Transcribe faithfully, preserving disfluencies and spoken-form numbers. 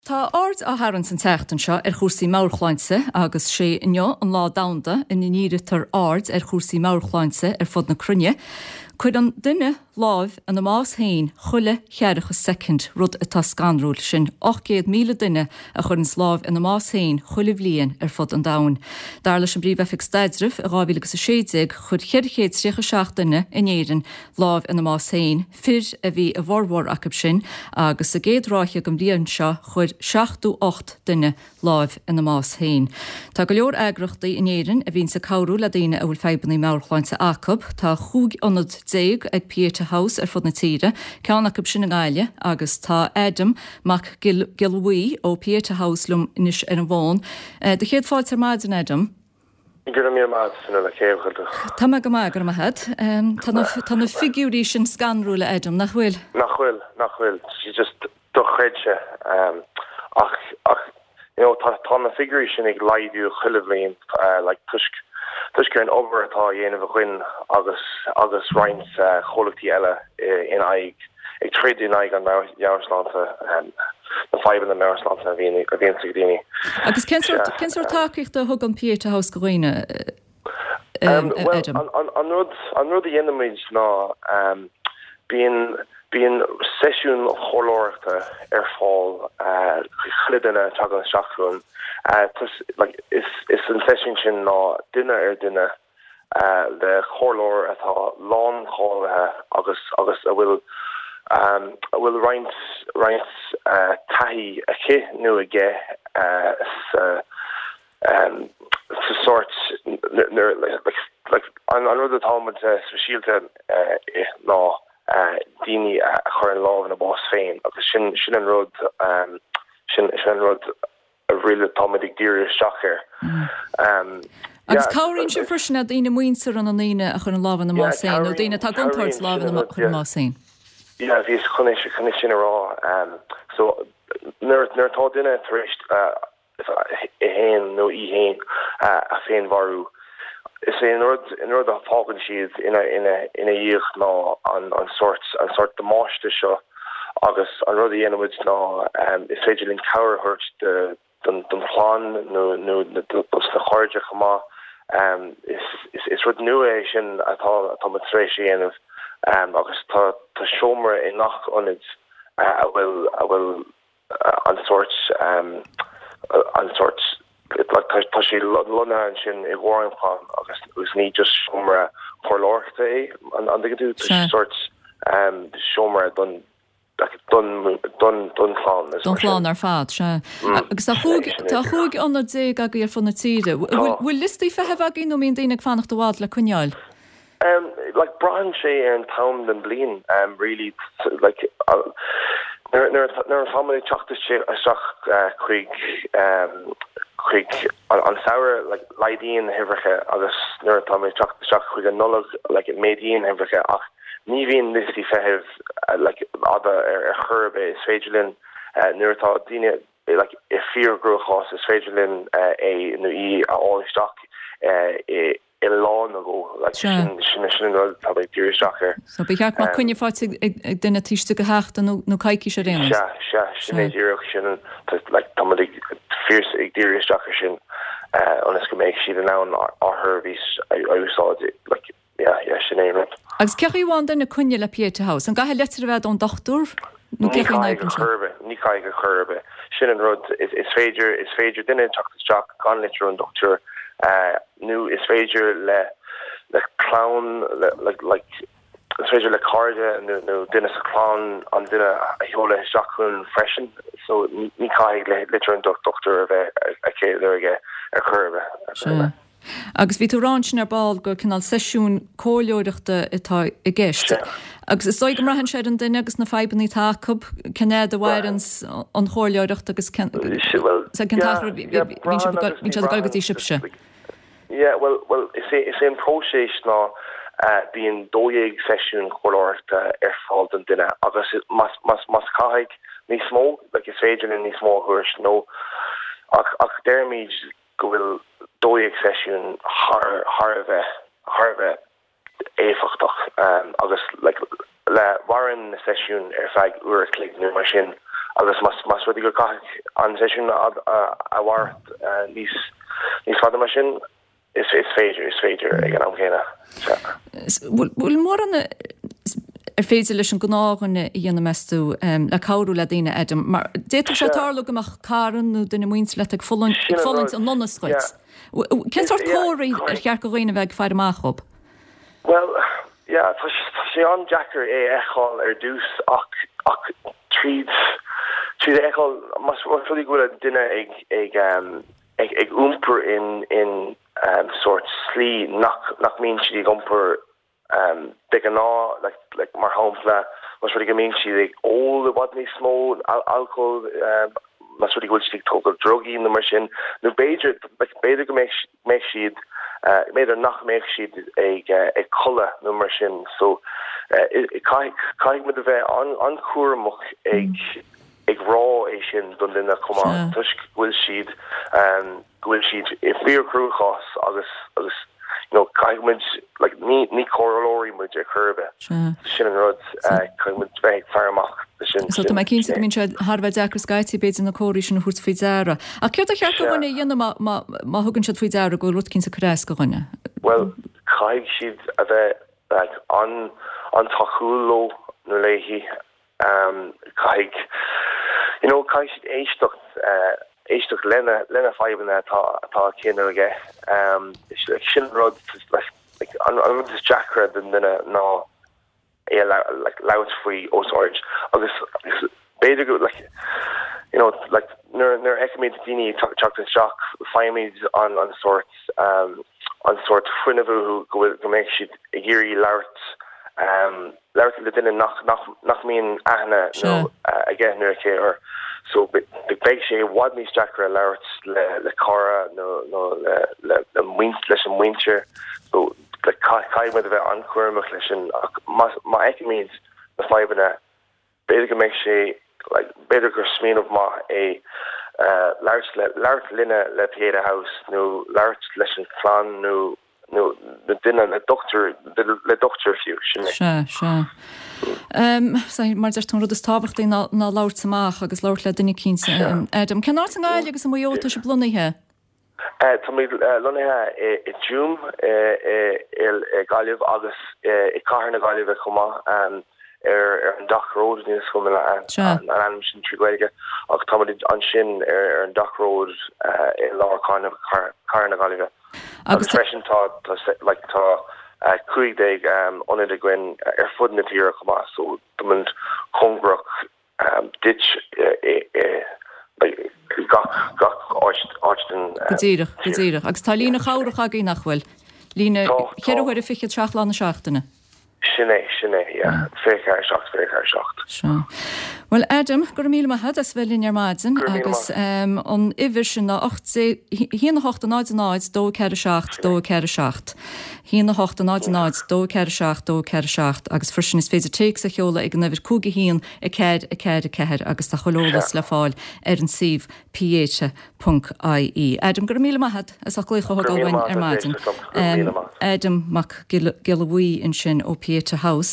Tá aird á tharraingt an tseachtain seo ar chúrsaí meabhairshláinte agus sé inniu an lá domhanda ina ndírítear aird ar chúrsaí meabhairshláinte ar fud na cruinne. Cuireann duine lámh ina mbás féin chuile cheathracha soicind rud atá scanrúil sin ocht gcéad míle duine a chuireann lámh ina mbás féin chuile bhliain ar fud an domhain. Dar leis an bPríomh-Oifig Staidrimh i dhá mhíle agus a sé déag chuir ceithre chéad tríocha seacht duine in Éirinn lámh ina mbás féin, fir a bhí i bhformhór acu sin, agus sa gcéad ráithe den bhliain seo chuir seachtó ocht duine lámh ina mbás féin. Tá go leor eagraíochtaí in Éirinn a bhíonns ag cabhrú le daoine a bhfuil fadhbanna meabhairshláinte acu. Tá cúig ionad déag ag Pieta House ar fud na tíre, ceann acu sin i nGaillimh, agus tá Adam Mac Giolla Bhuí ó Pieta House liom anois ar an bhfón. Do chéad fáilte ar maidin, Adam. Go raibh míle maith agat, Fionnuala, cén chaoi a bhfuil tú? Tá mé go maith, go raibh maith agat. Tá na, tá na figiúirí sin scanrúil, Adam, nach bhfuil? Nach bhfuil, nach bhfuil. Just dochreidte. Ach, ach, you know, tá, tá na figiúirí sin ag laghdú chuile bhliain, like, toisc, toisc ar an obair atá á dhéanamh againn agus, agus roinnt comhlachtaí eile in aghaidh, ag troid in aghaidh an meabhairshláinte, na fadhbanna meabhairshláinte a bhíonn a bhíonn ag daoine. Agus cén sórt, cén sórt tacaíochta a thugann Pieta House do dhaoine, Well, Adam? an, an, an rud, an rud a dhéanaimid ná bíonn, bíonn seisiún comhairleoireachta ar fáil chuile duine a tagann isteach chugainn. Like, is, is an seisiún sin ná duine ar duine le comhairleoir atá láncháilithe agus, agus a bhfuil, a bhfuil roinnt, roinnt taithí aici nó aige sa, sa sórt nuair, like, like, an, an rud atá muid speisialta i ná daoine a chuireann lámh ina bás féin agus sin, sin an rud, sin, sin an rud a really atá muid ag díriú isteach air. Agus cabhraíonn sibh freisin le daoine muinteartha na ndaoine a chuireann lámh ina mbás féin nó daoine atá i gcontúirt lámh ina chur ina mbás féin. Yeah, bhíos chun é chun é sin a rá. So nuair nuair atá duine tar éis é féin nó í féin a féinmharú, is é an rud an rud a fágann siad ina ina ina dhiaidh ná an an sórt an sórt damáiste seo agus an rud a dhéanaimid ná is féidir linn cabhair a thabhairt do don don chlann nó nó dos na cairde chomh maith. Is is is rud nua é sin atá atá muid tar éis a dhéanamh agus tá tá seomra i ngach ionad a bhfuil a bhfuil an sórt an sórt like tá sé lonnaithe ansin i gcomhair an chlann agus agus ní just seomra comhairleoireachta é an an dtuigeann tú? Tá sé sórt seomra don don don don chlann Don chlann ar fad, sea. Agus tá chúig tá chúig ionad déag agaibh ar fud na tíre. Bhfuil bhfuil liostaí feithimh agaibh nó mbíonn daoine ag fanacht i bhfad le coinneáil? Um, like braitheann sé ar an t-am den bhliain um, really like uh, nuair nuair nuair atá muid ag teacht isteach chuig um, chuig an, an samhradh like laghdaíonn na huimhreacha agus nuair atá muid ag teacht isteach chuig an Nollaig like méadaíonn na huimhreacha ach ní bhíonn liostaí feithimh uh, like fhada ar ar chor ar bith is féidir linn uh, nuair atá daoine like i fíor-ghruachás is féidir linn uh, é nó í a fháil isteach uh, i i lá nó dhó like sin sin sin an rud atá ag díriú isteach air. So ba cheart má coinne faighte ag ag duine taobh istigh de sheachtain nó nó coicís ar aon nós. Sea, sea, sin é díreach sin like tá muid ag fíor ag díriú isteach ar sin uh, ionas go mbeidh siad in ann ár seirbhís a a úsáid like yeah, yeah, sin é an rud. Agus cén chaoi a bhfaigheann duine coinne le Pieta House, an gcaithfidh litir a bheith ón dochtúir nó Ní cén chaoi a caithfidh n-oibríonn sé? chor ar bith, ní caithfidh chor ar bith. Sin an rud is, is féidir is féidir duine teacht isteach gan litir ón dochtúir uh, nó is féidir le le clann le, le, like, is féidir le cairde nó nó duine sa chlann an duine a sheoladh isteach chugainn freisin, so ní ní caithfidh le litir ón dochtúir a bheith aici nó aige ar chor ar bith. ar chor ar Sea. bith. Agus bhí tú ag rá ansin ar ball gur cineál seisiún comhairleoireachta atá i gceist. Sea. Agus is dóigh go mbraitheann sé ar an duine agus na fadhbanna atá acu, cén fhad a mhaireann an chomhairleoireacht agus cén Well, cén t-achar a bhíonn siad ag dul go dtí sibhse. Yeah, well, well, is é is é an próiseas ná uh, bíonn dó dhéag seisiún comhairleoireachta ar fáil don duine agus más más más caithfidh níos mó like is féidir linn níos mó a thabhairt nó ach ach deirimid go bhfuil dó dhéag seisiún thar thar a bheith thar a bheith éifeachtach um, agus like, le maireann na seisiún ar feadh uair a chloig nó mar sin agus más más rud é go caithfidh an seisiún a a mhaireacht níos níos fada mar sin is is féidir is féidir ag an am céanna. Bhfuil mórán ar féidir leis an gnáthdhuine a dhéanamh meas tú le cabhrú le daoine Adam, mar d'fhéadfadh sé tarlú go mbeadh cara nó duine muinteartha leat ag fulaingt an donas dhuit. Cén sórt comharthaí ar cheart do dhaoine bheith ag faire amach dhóibh? Well, yeah, tá sé an-deacair é a fheiceáil ar dtús ach ach tríd tríd a fheiceáil más rud é go bhfuil duine ag ag um, ag ag iompar in in um, sórt slí nach nach mbíonn siad ag iompar um, de ghnáth like, like, mar shampla más rud é go mbíonn siad ag ól i bhfad níos mó al alcohol um, más rud é go bhfuil siad ag tógáil drugaí nó mar sin nó b'fhéidir like, b'fhéidir go mbeidh mbeidh siad uh, b'fhéidir nach mbeidh siad ag uh, ag codladh nó mar sin so uh, caithfidh muid a bheith an an-chúramach ag mm. ag rá é sin don duine chomh maith toisc go bhfuil siad um, go bhfuil siad i bhfíorchruachás agus agus you know, caithfidh muid like, ní ní comhairleoirí muid ar chor ar bith sin an rud uh, caithfidh muid bheith ag faire amach sin. So tá mé cinnte go mbíonn sé thar a bheith deacair scaití b'fhéidir na comharthaí sin a thabhairt faoi deara. Ach céard ar cheart do dhuine a dhéanamh má má thugann siad faoi deara go bhfuil rud éicint ag cur as do dhuine? Well caithfidh siad a bheith like, an an-tacúil leo nó léi um, caithfidh you know, caithfidh siad éisteacht uh, éisteacht lena lena fadhbanna atá atá aici nó aige um, sin rud like, an, an rud is deacra don duine ná é like, labhairt faoi os ard agus b'fhéidir go like, you know, like, nuair nuair a fheicimid daoine teacht isteach faighimid an an sórt um, an sórt fuinneamh go bhfuil go mbeidh siad ag iarraidh labhairt um, labhairt le duine nach nach nach mbíonn aithne nó uh, aige nó aici air so beidh sé i bhfad níos deacra labhairt le le cara nó nó le le le muint leis an muintir so le caithfidh muid a bheith an-chúramach leis sin ach má má fheicimid na fadhbanna b'fhéidir go mbeidh sé like, b'fhéidir gur smaoineamh maith é uh, labhairt le labhairt linne le Pieta House nó labhairt leis an chlann nó nó le duine le dochtúir le dochtúir fiú sin é. Sea sea. Um, mar deir tú an rud is tábhachtaí ná ná labhairt amach agus labhairt le duine éicint. Adam, cén áit i nGaillimh agus i Maigh Eo atá sibh lonnaithe? Uh, tá muid uh, lonnaithe i Tuaim i Gaillimh agus i cathair na Gaillimhe chomh maith um, ar ar an Dock Road ní go an ainm sin trí Ghaeilge ach tá ansin ar ar an Dock Road uh, i lár cathair na Gaillimhe. Agus freisin tá like, tá uh, cúig déag um, ionad againn ar fud na tíre chomh maith so tá cóngarach um, duit gach gach áit den Go díreach go díreach agus tá líne chabhrach agaibh nach bhfuil líne ceithre huaire fiche seacht lá na seachtaine. Sin é sin é fiche seacht fiche seacht. Seo. Well Adam go raibh míle maith agat as bheith linn ar maidin agus um, an uimhir sin ná haon a hocht náid náid dó ceathair seacht dó ceathair seacht. Haon a hocht náid náid dó ceathair seacht dó ceathair seacht agus freisin is féidir téacs a sheoladh ag an uimhir cúig a haon a ceathair a ceathair a ceathair agus tá chuile eolas le fáil ar an suíomh pieta ponc IE. Adam go raibh míle maith agat as ucht glaoch a thógáil ar maidin. Um, Adam Mac Giolla Bhuí ansin ó Pieta House.